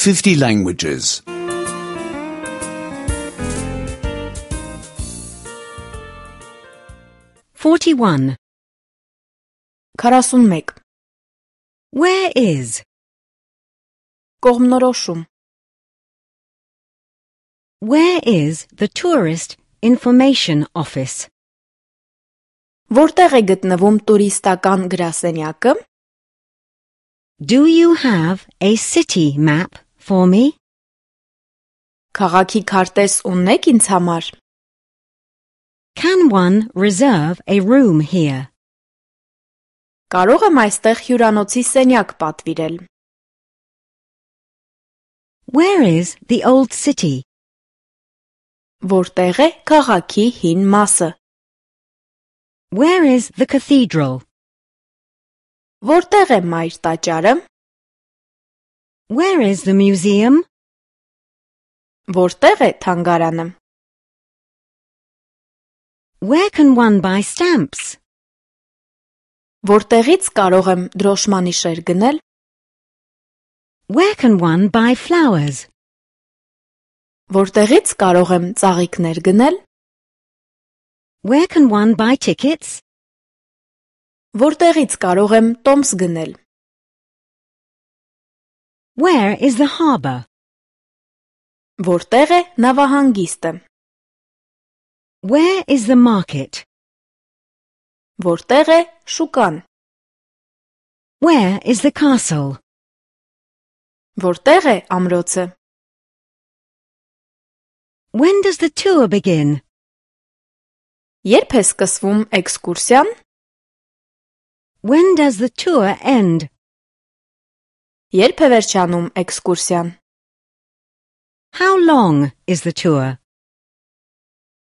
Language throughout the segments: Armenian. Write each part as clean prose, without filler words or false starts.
50 languages. 41. 41. Where is? Կողմնորոշում. Where is the tourist information office? Որտեղ է գտնվում տուրիստական գրասենյակը? Do you have a city map for me? Քաղաքի քարտեզ ունեք ինձ համար? Can one reserve a room here? Կարող եմ այստեղ հյուրանոցի սենյակ պատվիրել? Where is the old city? Որտեղ է քաղաքի հին մասը? Where is the cathedral? Որտեղ է մայր տաճարը? Where is the museum? Որտեղ է թանգարանը? Where can one buy stamps? Որտեղից կարող եմ դրոշմանիշեր գնել? Where can one buy flowers? Որտեղից կարող եմ ծաղիկներ գնել? Where can one buy tickets? Որտեղից կարող եմ տոմս գնել? Where is the harbour? Որտեղ է նավահանգիստը? Where is the market? Որտեղ է շուկան? Where is the castle? Որտեղ է ամրոցը? When does the tour begin? Երբ է սկսվում էքսկուրսիան? When does the tour end? Երբ է վերջանում էքսկուրսիան? How long is the tour?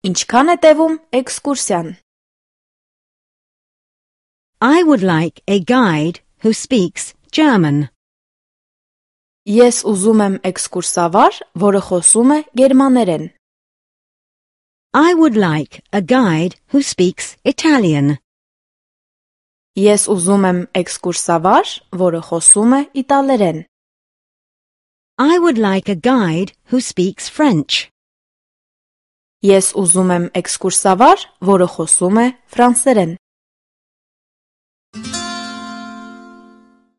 Ինչքան է տևում էքսկուրսիան? I would like a guide who speaks German. Ես ուզում եմ էքսկուրսավար, որը խոսում է գերմաներեն. I would like a guide who speaks Italian. Ես ուզում եմ էքսկուրսավար, որը խոսում է իտալերեն. I would like a guide who speaks French. Ես ուզում եմ էքսկուրսավար, որը խոսում է ֆրանսերեն.